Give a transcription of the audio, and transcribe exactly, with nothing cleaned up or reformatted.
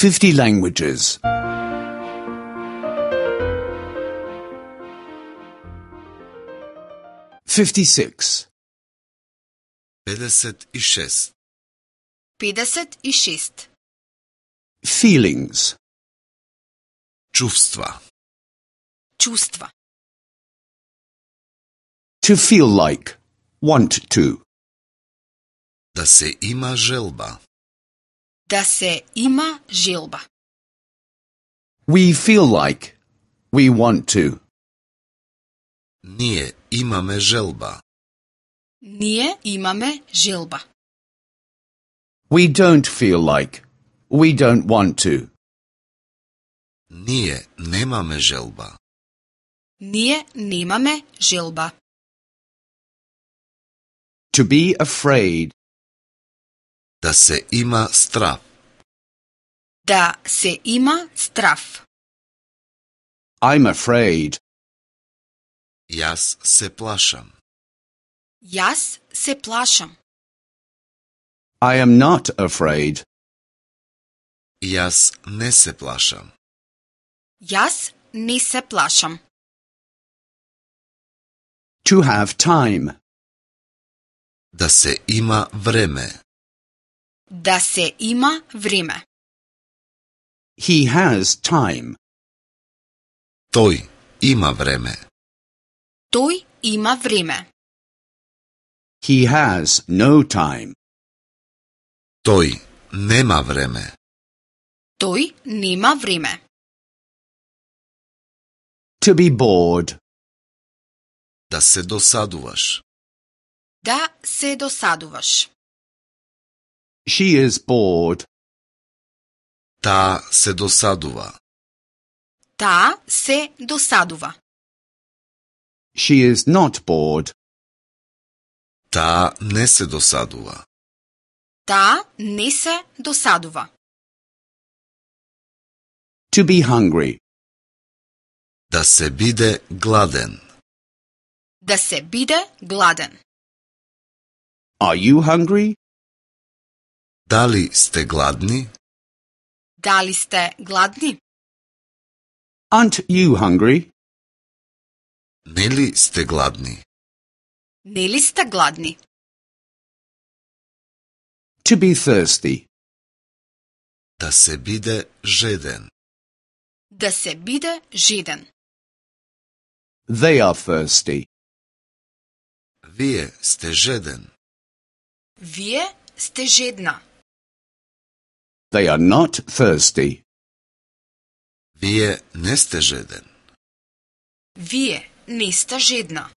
fifty languages. fifty-six. педесет и шест. педесет и шест. Feelings. Чувства. Чувства. To feel like. Want to. Да се има желба. Да се има желба. We feel like. We want to. Ние имаме желба. Ние имаме желба. We don't feel like. We don't want to. Ние немаме желба. Ние немаме желба. To be afraid. Да се има страв. Да се има страв. I'm afraid. Јас се плашам. Јас се плашам. I am not afraid. Јас не се плашам. Јас не се плашам. To have time. Да се има време. Да се има време. He has time. Тој има време. Тој има време. He has no time. Тој нема време. Тој нема време. To be bored. Да се досадуваш. Да се досадуваш. She is bored. Таа се досадува. Таа се досадува. She is not bored. Таа не се досадува. Таа не се досадува. To be hungry. Да се биде гладен. Да се биде гладен. Are you hungry? Дали сте гладни? Дали сте гладни? Aren't you hungry? Нели сте гладни? Нели сте гладни? To be thirsty. Да се биде жеден. Да се биде жеден. They are thirsty. Вие сте жеден. Вие сте жедна. They are not thirsty. Вие не сте жеден. Вие не сте жедна.